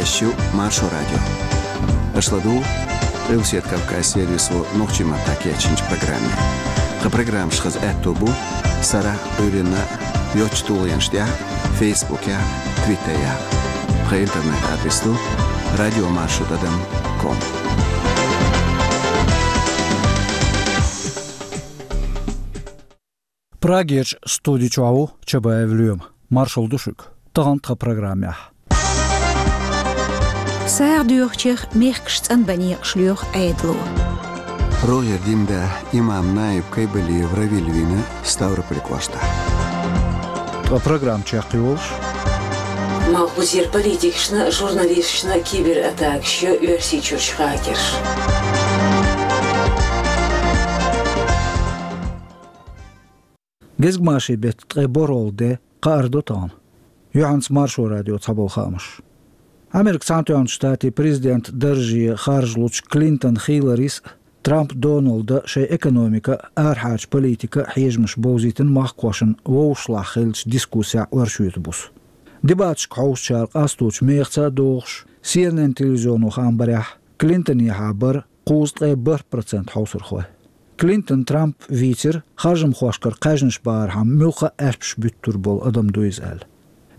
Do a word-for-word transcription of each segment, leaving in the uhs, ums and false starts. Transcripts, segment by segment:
Эфирехь ю Маршо радио. Аша ладугӀу Къилбаседа Кавказ сервисо нохчийн маттахь кечйинчу программе. Тхан программаш хаза аьтто бу сарахь а, Ӏуьйранна а йоцачу тулгӀенаш тӀехь а, Фейсбукехь а, Твиттерехь а. Тхан интернет-адрес ду радио маршо тӀадам ком. Прагерчу студи чохь ву Чабаев Лоьма. Маршалла ду шуьга. Тахана тхан программехь: сагӀа доьхучех мехкаш цӀанбан некъаш лоьху Ӏедало. РогӀера дин да имам Наиб Кайбалиев Равиль вийна Ставрополь кӀоштахь. Ткъа программа чекхйолуш: малхбузера политикашна а, журналисташна а кибератакаш йо Оьрсийчуьрчу хакерша. Гезгмашин беттан ткъе борхӀалгӀа де, кхаардо тахана. Юьхьанца Маршо радион цхьаболу хаамаш. Америкин Цхьаьнатоьхначу Штатийн президентан дарже харжалучу Клинтон Хилларис а, Трамп Доналда а шайн экономика а, арахьарчу политика а хьежамаш бовзийтина махкахошна вовшашлахь хиллачу дискуссехь оршотан буса. Дебаташка хьовсучара къасточу мехаца а догӀуш, Си Эн Эн телевизионо хаам барехь, Клинтонехьа бара кхузткъе бархӀ процент хьовсархой. Клинтон Трамп вийцира, харжамхошкара кхаьжнаш бахархьама муьлхха а аьшпаш буьттур болу адам ду иза аьлла.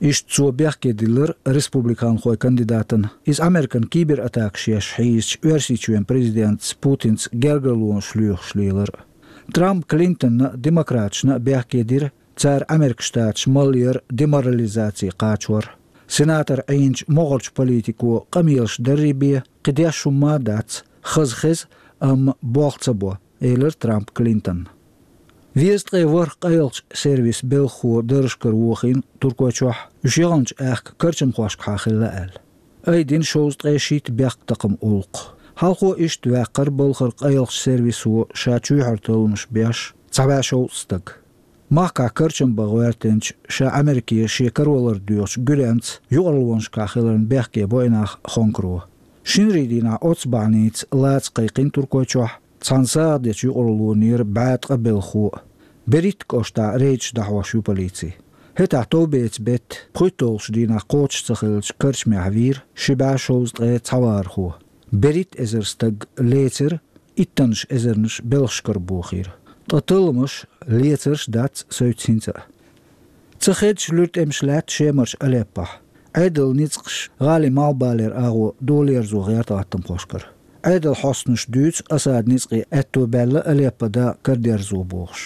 Иштта цо бехке диллира республиканхойн кандидатана, иза Американа кибератакаш еш хьийзачу Оьрсийчоьнан президентаца Путинца гергарлонаш лоьхуш лелар а. Трампа Клинтонна а, демократашна а бехке дира, цара Америкин Штаташ малъяр, деморализаци кхачор. Сенатор Ӏийначу могӀарчу политико къамелаш дарре бен, кхин деш хӀумма а дац, хаза хеза, амма болх ца бо, элира Трампа Клинтонна. Везткъе ворхӀ къайлахчу сервисан белхахо даржашкара вохийна Туркойчохь, уьш яханчу аьхка карчамхошкахьа хилла аьлла. Айдина шовзткъе шийтта бехктакхаман гӀуллакх. Хьалхо иштта ваьккхира балхара къайлахчу сервисо ша чоьхьара талламаш беш цхьа бӀе шовзткъа стаг. Махкахь карчам бан гӀоьртинчу, ша Америке шен каравалар доьхучу Гуьренца юкъараллонашкахь хиларна бехке бо и нах Хонкаро. Шинарин дийнахь оццу бахьаница лаца кхайкхина Туркойчохь цхьана сагӀа дечу юкъараллонера бӀе ткъа белхахо а. Берит кӀоштахь рейдаш дӀахьош ю полици. ХӀетахь товбеца бетта, пхуьйтталгӀачу дийнахь кхочуш ца хиллачу карчамехь вийра ши бӀе шовзткъе цхьа вахархо. Берит эзар стаг лецира, иттаннаш эзарнаш белхашкара бохийра. Ткъа талламаш, лецарш дац соьца хӀинца а. Ца хедаш луьра тӀемаш лаьтта Шемарчу Алеппохь. Ӏедалан ницкъаш гӀалин малхбалера агӀо долаерзо гӀерта гӀаттамхошкара. Ӏедалан хьостанаша дуьйцу Асадан ницкъийн аьтто баьлла Алеппо дакъа карадерзо бохуш.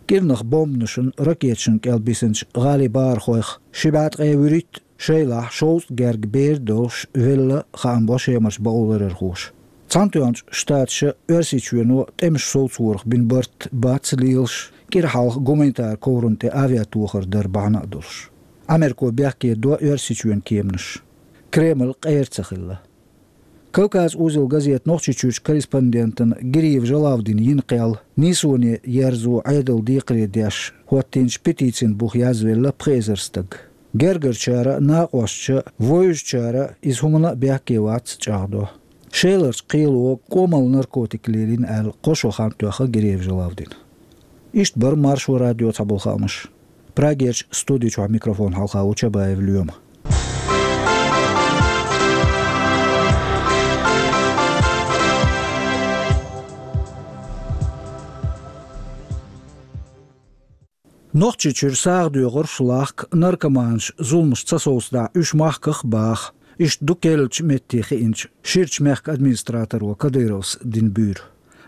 КӀирнах бомбанашна, ракеташна кӀел бисинчу гӀалин бахархойх ши бӀе ткъе вуьрхӀитта, шайлахь шовзткъа герга бер а долуш, велла, хаам бо Шемарчу бакъоларъярхоша. Цхьаьнатоьхначу Штаташа Оьрсийчоьно тӀемаш совцорах бина барт бац лелаш, кӀира хьалха гуманитаран коврана тӀе авиатохар дар бахьана а долуш. Америко бехке до Оьрсийчоьнан кеманаш. Кремль къера ца хилла. Кавказ узел газетан Нохчийчуьрчу корреспондентана Гириев Жалавдина йина кхел нийсоне ерзо Ӏедалан декхаре деш хӀоттийначу петицин буха язвелла пхи эзар стаг. Гергарчара а, накъосташа а, вевзачара а иза хӀуманна а бехке вац чӀагӀдо. Шеларчу кхело кӀомалла наркотик лелийна аьлла, кхо шо хан тоьхна Гириев Жалавдина. Иштта бара Маршо радион цхьаболу хаамаш. Прагерчу студи чохь микрофон хьалха ву Чабаев Лоьма. Нохчийчуьра сагӀа доьхурш лахка, наркоманаш зуламаш ца совцадахь, уьш махках а баха. Иштта ду керлачу метте хиъначу Ширачу мехкан администраторо Кадыровс дина буьйр.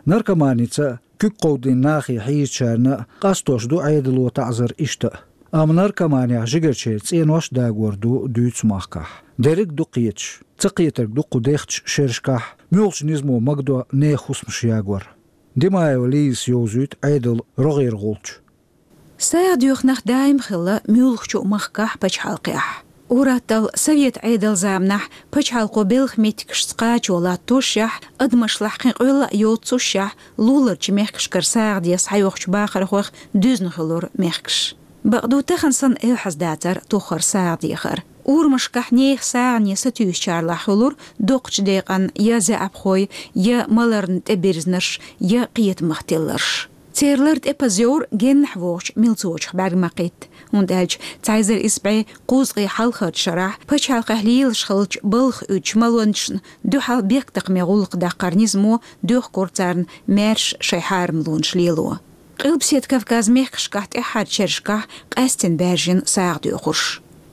Наркоманица куьг кховдийна нахе хьийзачарна а къастош ду Ӏедало таӀзар иштта а. Амма наркоманехь жигарчеран цӀенош а дагор ду дуьйцу махкахь. Дерриг а ду кхеташ. Ца кхетарг ду кху дехачу шерашкахь муьлхачу низамо магадо нехан хӀусамаш ягор. Димаева Лизас йовзуьйту Ӏедалан рогӀера гӀулч. СагӀа доьху нах даим хилла муьлххачу а махкахь, пачхьалкхехь. Ур-атталла совет Ӏедалан заманахь пачхьалкхо белхан меттигашца кхачо латтошшехь, адамашлахь кхин къоьлла а йоццушшехь, луларчу мехкашкара сагӀа де схьайохучу бахархойх дуьзна хуьлура мехкаш. Бакъду, тахана санна, эвхьаза дацара тоххара сагӀа дехар. Урамашкахь нехан сагӀане сатуьйсучарлахь хуьлура доккхачу декъан я заьӀапхой, я маларна тӀебирзнарш, я кхетамах тилларш. Церан лар тӀепаза йовра геннахь вогӀучу милцочух бӀаьрг ма кхетта, хӀунда аьлча цхьа эзар исс бӀе кхузткъе хьалхарчу шарахь пачхьалкхехь лелаш хиллачу балха уьдучу малонашна дуьхьал бехктакхаман гӀуллакх даккхаран низамо доьхкура царна маьрша шайн хьарамлонаш лело. Къилбаседа Кавказан мехкашкахь тӀаьххьарчу шерашкахь къаьсттина баьржина сагӀа доьхурш.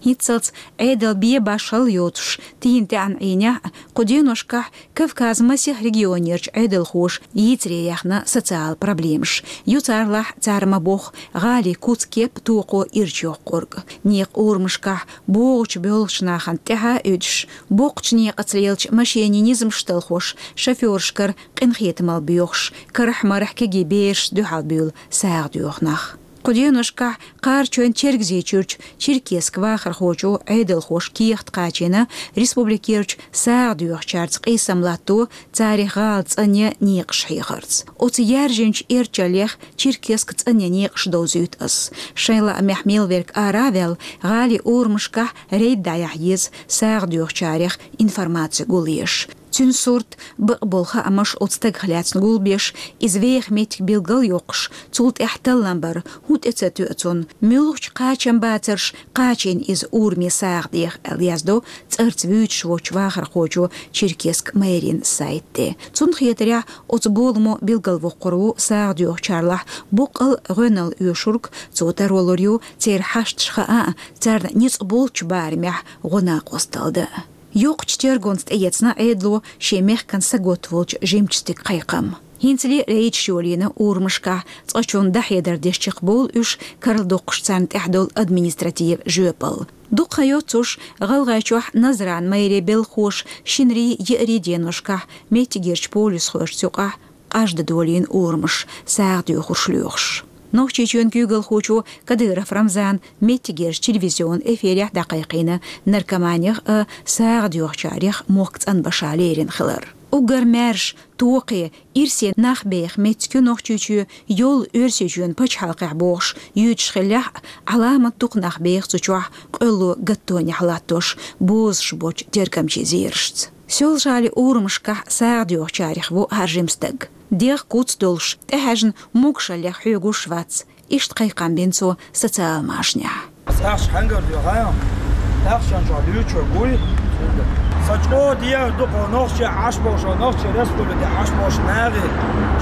ХӀинццалц Ӏедал бен-башхалла йоцуш, тийна тӀаьхьарчу Ӏийнехь а, кху деношкахь Кавказан масех регионерчу Ӏедалхоша йийцаре яьхна социал проблемаш. Ю царалахь, цара ма-бохху, гӀалин куц-кеп токхо ирча йоккхург. Некъан урамашкахь богӀучу-боьлхучу нахана тӀаьхьа а уьдуш, боккхачу некъаца лелачу машенийн низамаш талхош, шофёрашкара къинхетамалла боьхуш, карахь-марахь кегий берашца дуьхьал буьйлу сагӀа доьху нах. Кху деношкахь Кхарачойн-Чергазийчуьрчу Черкесск вахархочо Ӏедалхоша кехат кхачийна республикерчу сагӀа доьхучаьрца къийсам латто, царах гӀала цӀанъян некъаш хьехарца. Оцу яьржинчу эрчаллех Черкесск цӀанъян некъаш довзуьйту ас. Шайн лаамехь мел верг ара а ваьлла, гӀалин урамашкахь рейд дӀаяхьа еза, сагӀа доьхучарех информаци гулъеш. Цуьнан сурт, бакъболу хаамаш оцу стагах лаьцна гулбеш, иза веха меттиг билгалйоккхуш, цул тӀаьхьа таллам бар, хӀун тӀе ца тоьа цунна, муьлхачу кхачамбацарша кхачийна иза ураме сагӀа деха, аьлла яздо цӀарца вуьйцуш волчу вахархочо Черкесск мэрин сайта тӀе. Цунна хетарехь, оцу боламо билгалвоккхур ву сагӀа доьхучарлахь боккъал гӀоьналла оьшург, цо таро лур ю церан хьашташ хаа а, царна ницкъ болчу барамехь гӀо-накъосталла дан а. Йоккхачу тергонца тӀеэцна Ӏедало шен мехкан саготта волчу жимачу стеган кхайкхам. ХӀинцале рейдаш йолийна урамашкахь, цкъачунна дӀахьедар деш чекхбовлу уьш, карладоккхуш царна тӀехь долу административан жоьпалла. Дукха хан йоццуш ГӀалгӀайчохь Назран мэрин белхахоша шинарин, еарин деношкахь меттигерчу полисхошца юкъахь къажда долийна урамаш, сагӀа доьхурш лоьхуш. Нохчийчоьнан куьйгалхочо Кадыров Рамзана меттигерчу телевизионан эфирехь дӀакхайкхийна наркоманех а, сагӀа доьхучарех мохк цӀанбаша лерина хилар. Уггар маьрша, токхе, ирсе нах беха меттиг ю Нохчийчоь, йолу Оьрсийчоьнан пачхьалкхехь бохуш юьйцуш хиллехь а, Ӏаламат дукха нах беха цу чохь къоьлло гаттонехь латтош, бозуш боцчу тергамчийн зерашца. Соьлжа-ГӀалин урамашкахь сагӀа доьхучарех ву хӀара жима стаг. ДегӀ куц долуш, тӀехьаьжна могушаллех хьоьгуш вац. Иштта кхайкхам бина цо социал машанехь. Ахча хьаьнгара доьху, ахча чохь дуьйцуш гуй. Сан чӀогӀа дегӀ ду кху нохчий Ӏаш болчу, нохчийн республике Ӏаш болчу нахе,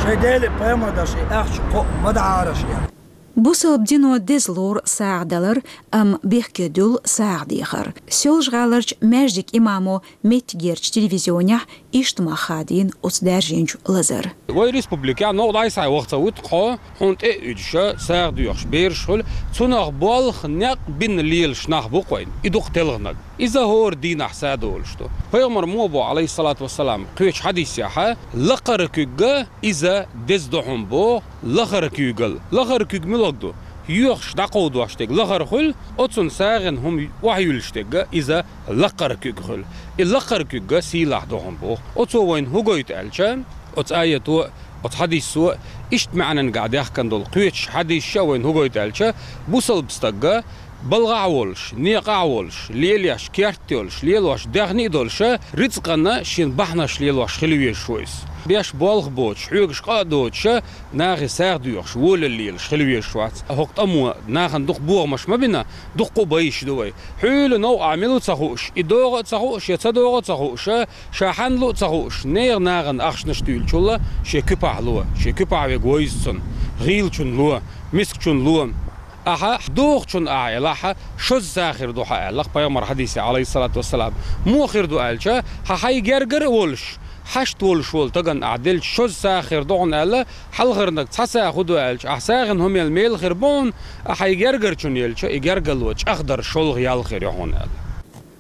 шайн Деле пайхамар даш и ахча кхоъ ма дахьара шен. Бусалба дино деза лору сагӀа далар, амма бехке дуьллу сагӀа дехар. Соьлжа-ГӀаларчу маьждиган имамо меттигерчу телевизионехь иштта мах хадийна оцу даьржинчу лазар. Вай республикехь новкъа дӀасхьа ваха ца вуьту хьо, хьуна тӀе а уьдуша, сагӀа доьхуш бераш хуьлу, цунах болх, некъ бина лелаш нах бу-кх вайн, и дукха телханарг. Иза хӀора дийнахь садолуш ду. Пайхамар мо бо, Ӏалайхиссалату вассалам, кхечу хьадисехьа, лакхара куьг иза деза ду хьуна боху, лахара куьйгалла. Лахара куьг муьлхарг ду? Йоьхуш дӀакховдош дерг лахара хуьлу, оцунна сагӀина хӀума охьаюьллуш дерг иза лакхара куьг хуьлу. И лакхара куьг сийлахь ду хьуна боху. Оцо вайна хӀун гойту аьлча, оцу аято а, оцу хьадисо а иштта маьӀнангахь даьхкина долу кхечу хьадисаша а вайна хӀун гойту аьлча, бусалба стаг балхахь а волуш, некъахь а волуш, лелош керт йолуш, лелош даьхни а долуша, рицкъана шен бахьанаш лелош хила везаш ву иза. Беш болх боцуш, хьоьгуш къа а доцуша, нахе сагӀа доьхуш, волалла лелаш хила везаш вац. ХӀокху тӀамо нахана дукха бохамаш ма бина, дуккха а байъаш ду вай. Хьуьлла новкъахь мила ву ца хууш, и догӀу а ца хууш, я ца догӀу а ца хууша, ша хьанна лу а ца хууш, нехан нахана ахчанаш туьйлучул шен куьпахь ло, шен куьпахь верг вевза цунна, гӀийлачунна ло, мискачунна ло. Ахьа дохучунна ахьа елахь, шозза сагӀа хир ду хьан аьлла-кх пайхамар хьадисехь, Ӏалайхиссалату вассалам. Муха хир ду аьлча, хьан хьайн гергара а волуш, хьашт волуш волу стагана ахьа делча шозза сагӀа хир ду хьуна аьлла, хьалхарниг цхьа сагӀа хӀун ду аьлча, ахьа сагӀина хӀума елла мела хир бу хьуна, ахьа хьайн гергара чунна елча, и гергарло чӀагӀдар шолгӀа ял хир ю хьуна аьлла.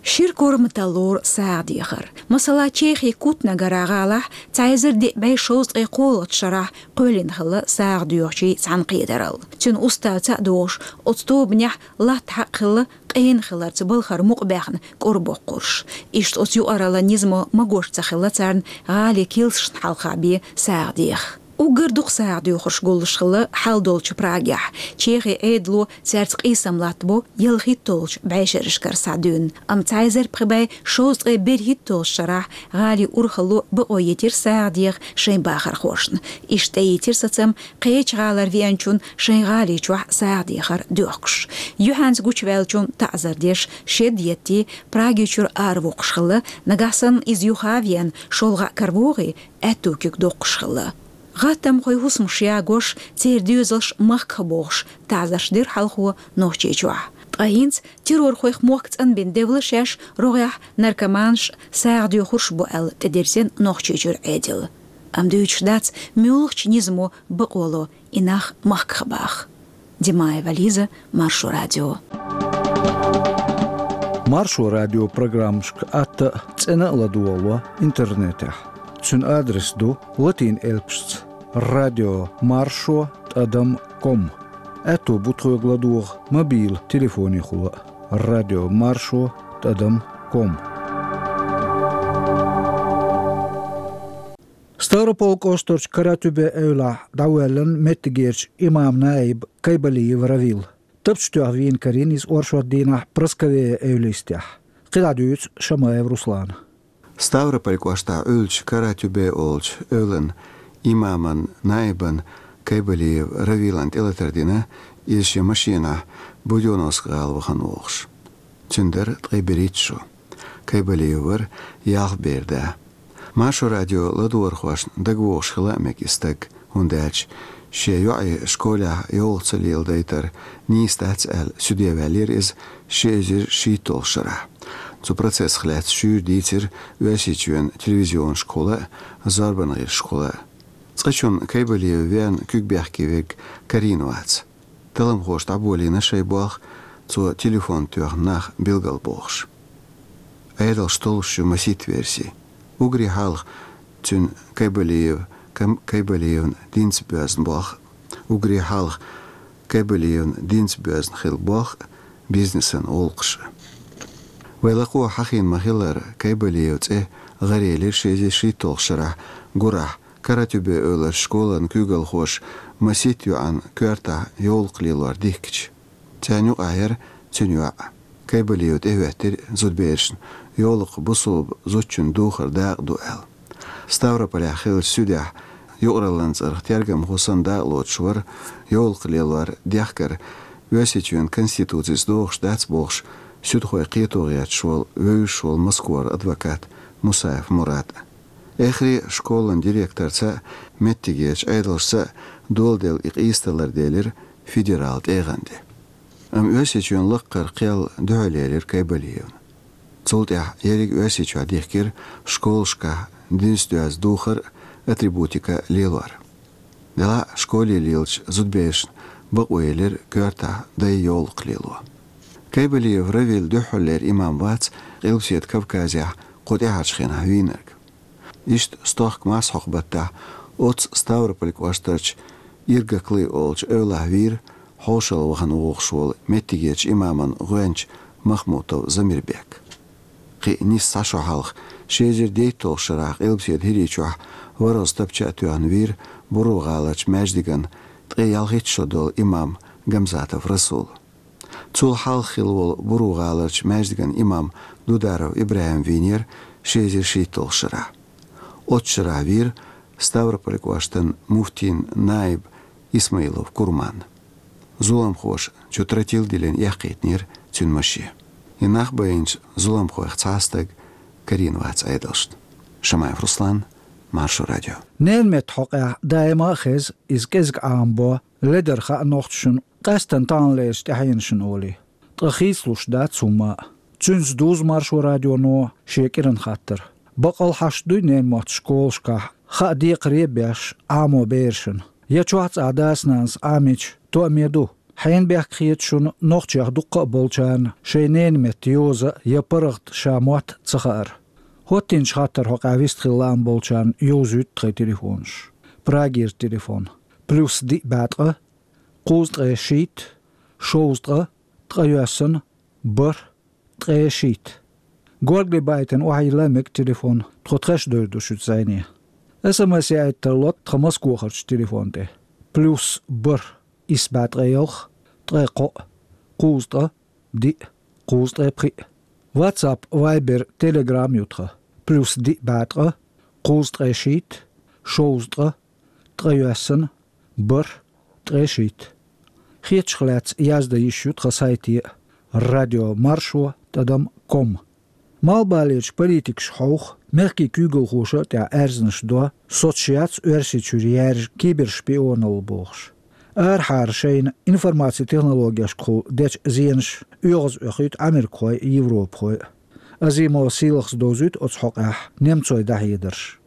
Шира корматалла лору сагӀа дехар. Масала, Чехин Кутнагара гӀалахь цхьа эзар диъ бӀе шовзткъе кхоалгӀачу шарахь кхоьллина хилла сагӀа доьхучийн цхьаьнакхетаралла. Цуьнан уставца а догӀуш, оцу тобанехь латта хьакъ хилла къена хиларца балхара мукъабаьхна кӀорбоккхурш. Иштта оцу юкъараллан низамо магош ца хилла царна гӀалин килсашна хьалха бен сагӀа деха. Уггар дукха сагӀа доьхурш гуллуш хилла хьал долчу Прагехь. Чехин Ӏедало цаьрца къийсам латтабо ялхитталгӀачу бӀешерашкара схьа дуьйна. Амма цхьа эзар пхи бӀе шовзткъе берхӀитталгӀачу шарахь гӀалин урхалло бакъо йитира сагӀа деха шайн бахархошна. Иштта тӀеийцира сацам кхечу гӀалара веанчунна шайн гӀали чохь сагӀа дехар доьхкуш. Юьхьанца гучуваьллачунна таӀзар деш, шед еттий, Праги чуьра аравоккхуш хилла, нагахь санна иза юха а веана, шолгӀа а каравогӀий, аьтту куьг доккхуш хилла. ГӀаттамхойн хӀусамаш ягош, церан доьзалш махках бохуш, таӀзарш дира хьалхо Нохчийчохь. Ткъа хӀинца террорхойх мохк цӀанбина девлла шаьш рогӀехь наркоманаш, сагӀа доьхурш бу аьлла тӀедирзина Нохчийчуьра Ӏедал. Амма дуьйцуш дац, муьлхачу низамо бакъо ло и нах махках баха. Димаева Лиза, Маршо радио. Маршо радио программашка атта а, цӀена а ладогӀало интернетехь. Цуьнан адрес ду латин элпашца: радио маршо тӀадам ком. Аьтто бу тхоьга ладогӀа мобил телефонехула а: радио маршо тӀадам ком. Ставрополь кӀоштарчу Каратюбе эвлахь дӀавоьллина меттигерчу имам-наиб Кайбалиев Равил. Тапча тоьхна вийна карийна иза оршот дийнахь Прасковея эвлистехь. КхидӀа дуьйцу Шамаев Руслана. Ставрополь кӀоштахь Ӏуьллучу Каратюбе олучу эвлан имаман наибан Кайбалиев Равилан тӀелатар дина, иза шен машинахь Будённовск гӀала вахана вогӀуш. Цуьнан дара ткъе берхӀитта шо. Кайбалиев вара ялх бер да. Маршо радио ладогӀархошна дагавогӀуш хила а мега и стаг, хӀунда аьлча шен йоӀе школехь йовлакх ца леладайтар нийса дац аьлла, суьде ваьллера иза ши эзар шийтталгӀачу шарахь. Цу процессах лаьцна шуьйра дийцира Оьрсийчоьнан телевизионашкахула а, зорбанан гӀирсашкахула а. Цкъачунна Кайбалиев веана куьг бехке верг карийна вац. Талламхоша дӀаболийна шайн болх, цо телефон тоьхна нах билгалбохуш. Ӏедалш толлуш ю масийтта верси. Уггаре хьалха цуьнан Кайбалиев, Кам-, Кайбалиевна динца боьзна болх, уггаре хьалха Кайбалиевна динца боьзна хилла болх а, бизнесан гӀуллакхаш а. Вай лакхо хьахийна ма-хиллара, Кайбалиев цӀе гӀарелира ши эзар шийтталгӀачу шарахь гурахь Каратюбе эвларчу школан куьйгалхоша масийтта йоӀана коьртахь йовлакх лелор дихкича. Царна юкъахь яра цуьнан йоӀ. Кайбалиев тӀехӀоьттира зудаберашна, йовлакх бусалба зудчун духар дакъа ду аьлла. Ставрополехь хиллачу суьдехь юкъараллин цӀарах тергамхо санна дакъа лоцуш вара йовлакх лелор дехкар Оьрсийчоьнан Конституцица догӀуш дац бохуш, суьдхойн кхето гӀерташ волу вевзаш волу Москвара адвокат Мусаев Мурад. Эххар а школан директорца а, меттигерчу Ӏедалшца а доладелла и къийсадалар делира федералан тӀегӀан тӀе. Амма Оьрсийчоьнан лаккхара кхел дуьхьал елира Кайбалиевна. Цул тӀаьхьа ерриг а Оьрсийчохь дихкира школашкахь динца доьзна духар а, атрибутика а лелор. Делахь а школе лелачу зудаберашна бакъо елира коьртахь дай йовлакх лело. Кайбалиев Равил дуьххьарлера имам вац Къилбаседа Кавказехь кху тӀаьхьарчу хенахь вийнарг. Иштта стохка марсхьокху баттахь оццу Ставрополь кӀоштарчу Иргаклы олучу эвлахь вийра хьошалла вахана вогӀуш волу меттигерчу имаман гӀоьнча Махмутов Замирбек. Кхин а нийса цхьа шо хьалха, ши эзар дейтталгӀачу шарахь Къилбаседа ХӀирийчохь ворхӀазза тапча а тоьхна вийра Буро-гӀаларчу маьждиган ткъе ялхитта шо долу имам Гамзатов Расул. Цул хьалха хилла волу Буро-гӀаларчу маьждиган имам Дударов ИбрахӀим вийнера ши эзар шийтталгӀачу шарахь. Оццу шарахь вийра Ставрополь кӀоштан муфтин наиб Исмаилов Курман. Зуламхоша чу тротил диллина эккхийтинера цуьнан машен. И нах байинчу зуламхойх цхьа а стаг карийна вац Ӏедалшна. Шамаев Руслан, Маршо радио. Ненан меттан хьокъехь даима а хеза, иза кӀезиг Ӏамабо ледара хаа нохчашна, къаьсттина таханлерчу тӀаьхьенашна олий. Ткъа хийцалуш дац хӀумма а. Цуьнца дузу Маршо радионо шен кӀиран хаттар. Баккъал хьашт дуй ненан мотт школашкахь, хаа декхаре а беш, Ӏамо берашна? Я чохь цӀахь дас-нанас Ӏамийча, тоаме ду? Хьенан бехк хета шуна нохчех дуккха а болчарна шайн ненан меттан йоза я паргӀат ша мотт ца хаар? ХӀоттинчу хаттаран хьокъехь вистхила лаам болчарна йовзуьйту тхайн телефонаш. Прагера телефон: плюс диъ бӀе ткъа, кхузткъе шийтта, шовзткъа, ткъайоьсна, бархӀ, ткъе шийтта. Горгали байтина охьайилла мега телефон, тхо тхаьш довр ду шуьца зӀене. СМС яийта тарлу тхан Москвахарчу телефон тӀе: плюс бархӀ, исс бӀе ткъе ялх, ткъе кхоъ, кхузткъа, диъ, кхузткъе пхиъ. WhatsApp, Viber, Telegram ю тхан: плюс диъ бӀе ткъа, кхузткъе шийтта, шовзткъа, ткъе йоьссана, бархӀ, ткъе шийтта. Хетачух лаьцна яздан йиш ю тхан сайте: радио маршо тӀадам ком. Малхбалерчу политикаша хьовха, мехкийн куьйгалхоша а тӀехь аьрзнаш до, соцуш яц Оьрсийчуьра яьржа кибершпионалла бохуш. Арахьара шайна информацин технологешкахула дечу зенаша оьгӀаз оьхуьйту америкахой а, европахой а. Азимова Сийлахас довзуьйту оцу хьокъехь немцойн дӀахьедарш.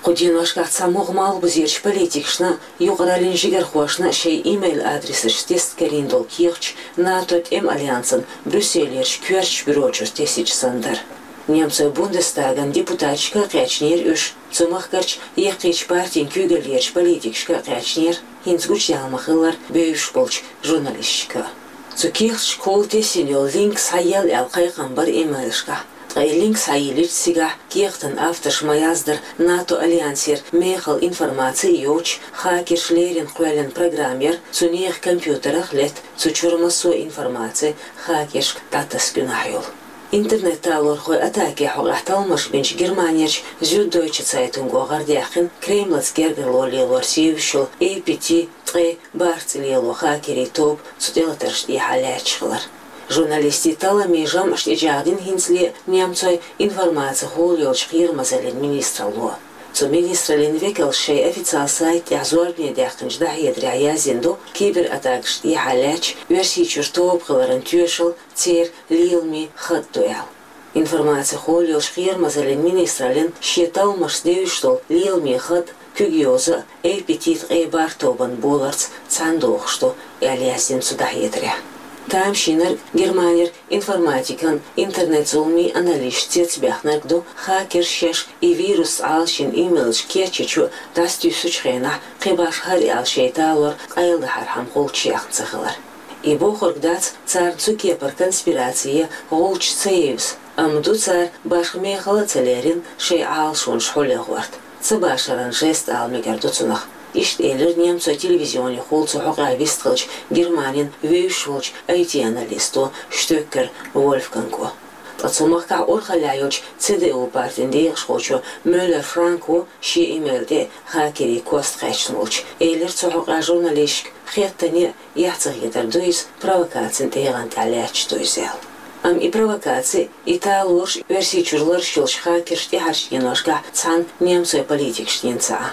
Кху деношкахь цхьамогӀа малхбузерчу политикашна, юкъараллин жигархошна шайн имейл-адресаш тесна карийна долу кехаташ НАТО тӀеман альянсан Брюсселерчу коьртачу бюрочуьра тесначу санна дара. Немцойн Бундестаган депутаташка а кхаьчнера уьш, цу махкарчу яккхийчу партийн куьйгаллерчу политикашка а кхаьчнера, хӀинца гучудаьлла ма-хиллара, бевзаш болчу журналисташка а. Цу кехаташкахула тесна йолу линк схьаелла аьлла кхайкхам бара имейлашкахь. Ткъа и линк схьайиллича, цигахь кехатан авторша ма-яздара, НАТО альянсера мехала информаци йоцуш, хакерша леррина кхоьллина программа яра, цу нехан компьютерах летта цу чуьра массо а информаци хакершка дӀатасса гуьнахь йолу. Интернет-талорхойн атакийн хьокъехь талламаш бинчу Германерчу Зюддойче Цайтунго гӀардаьккхина Кремлаца гергарло лелорца евзаш йолу эй пи ти ткъе бархӀ цӀе лело хакерийн тоба цу тӀелатаршна тӀехьа лаьтташ хилар. Журналистийн талламийн жамӀаш тӀечӀагӀдина хӀинцале немцойн информацехула йолчу кхерамазаллин министралло. Цу министраллин векалша шайн официал сайта тӀехь зорбане даьккхинчу дӀахьедарехь яздина ду, кибератакашна тӀехьа лаьтташ Оьрсийчуьра тоба хиларан тоьшалла церан леламийн хатӀ ду аьлла. Информацехула йолчу кхерамазаллин министраллин шен талламашца девзаш долу леламийн хатӀ куьг йоза а эй пи ти ткъе бархӀ тобанан боларца цхьаьна дохуш ду, аьлла яздина цу дӀахьедарехь. Тамашийнарг Германера информатикан, интернет-зуламийн аналисташ цецбаьхнарг ду, хакерша шаьш и вирус Ӏалашйина имейлаш кечйича а, дӀасатуьйсучу хенахь кхин башха хӀара аьлла шайн талор къайладахьархьама гӀулч яьхна ца хилар. И бохург дац царна цу кепара конспираци я гӀулч ца евза, амма ду цара башха мехала а ца лерина шайн Ӏалашонаш хьулъяхӀорта. Ца башаран жест ала мегар ду цунах. Иштта элира немцойн телевизионехула цу хьокъехь вистхиллачу Германин вевзаш волчу ай ти-аналисто Штёккер Вольфганго. Ткъа цу махкахь урхаллехь йолчу Ц Д У партин декъашхочо Мюллер Франко шен имейл тӀе хакерийн кост кхаьчна волчу элира цу хьокъехь журналисташка хеттане а, эхь ца хетар ду иза, провокацин тӀегӀан тӀехь лаьтташ ду иза аьлла. Амма и провокаци, и талораш Оьрсийчуьра лараш йолчу хакерша тӀаьхьарчу деношкахь цхьана немцойн политикашна йина ца Ӏа.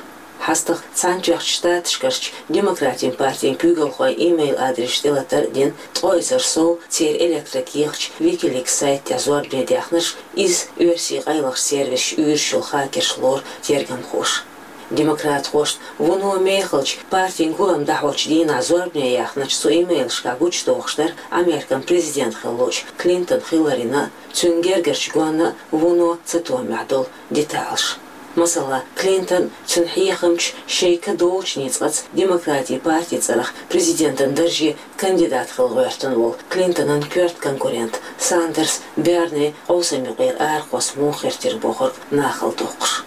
ХьастагӀа Цхьаьнатоьхначу Штаташкарчу Демократийн партин куьйгалхойн имейл-адресаш тӀелатар а дина, ткъа эзар сов церан электрокехаташ Wikileaks сайта тӀехь зорбане даьхнарш, иза оьрсийн къайлахчу сервисаша уьйраш йолу хакерша лору тергамхоша. Демократхошна вуно мехалчу партин гулам дӀахьочу дийнахь зорбане яьхначу цу имейлашкахь гучудохуш дара Американ президент хиллачу Клинтон хиларна а, цуьнан гергарчу гонна а вуно цатоьхнехь долу деталаш. Масала, Клинтон, цуьнан хьехамчаш шайн ка долчу ницкъаца Демократийн партин цӀарах президентан дарже кандидат хила гӀоьртина волу Клинтонан коьрта конкурент Сандерс Берни къовсам юкъера арахьа муха хир тира бохург нахала доккхуш.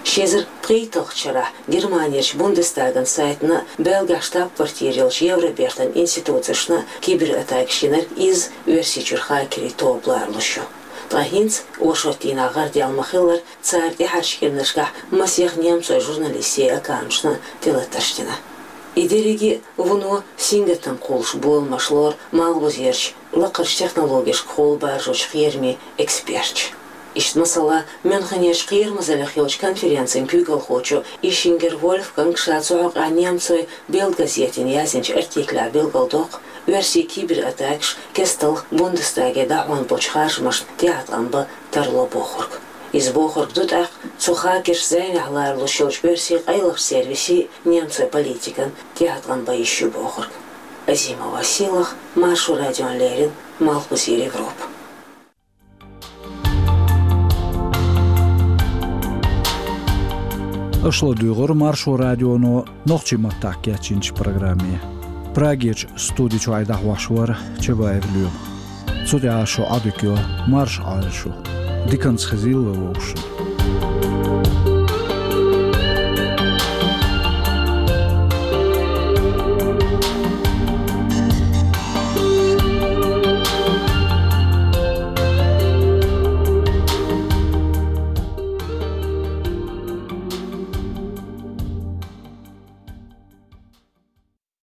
Ши эзар пхийтталгӀачу шарахь Германерчу Бундестаган сайтана а, Бельгахь штаб-квартира йолчу Евробертан институцешна а кибератакаш йинарг иза Оьрсийчуьра хакерийн тоба лоруш ю. Ткъа хӀинца, оршот дийнахь гӀардаьлла ма-хиллара, цара тӀаьхьарчу кӀирнашкахь масех немцойн журналистийн аккаунташна а тӀелатарш дина. И дерриге а вуно сингаттам кхуллуш боламаш лору малхбузерчу лакхарчу технологешкахула баржочу кхерамийн эксперташа. Иштта масала, Мюнхенерчу кхерамазаллех йолчу конференцин куьйгалхочо Ишингер Вольфганга ша цу хьокъехь немцойн Бельд газетана яздинчу артиклехь билгалдоккху, оьрсийн кибератакаш кестта Бундестаге дӀахьон болчу харжамашна тӀеӀаткъам бан тарло бохург. Иза бохург ду тӀаккха цу хакерша зӀенехь лоралуш йолчу оьрсийн къайлахчу сервисийн, немцойн политикан тӀеӀаткъам бан йиш ю бохург. Азимова Сийлаха, Маршо радиона леррина, Малхбузера Европа. Аша ладуьйгӀира Маршо радионо нохчийн маттахь кечйинчу программе. Прагерчу студи чуьра дӀахьош вара Чабаев Лоьма. Цу тӀехь шу Ӏодика йо, марша Ӏойла шу. Диканца хезийла вовшашна.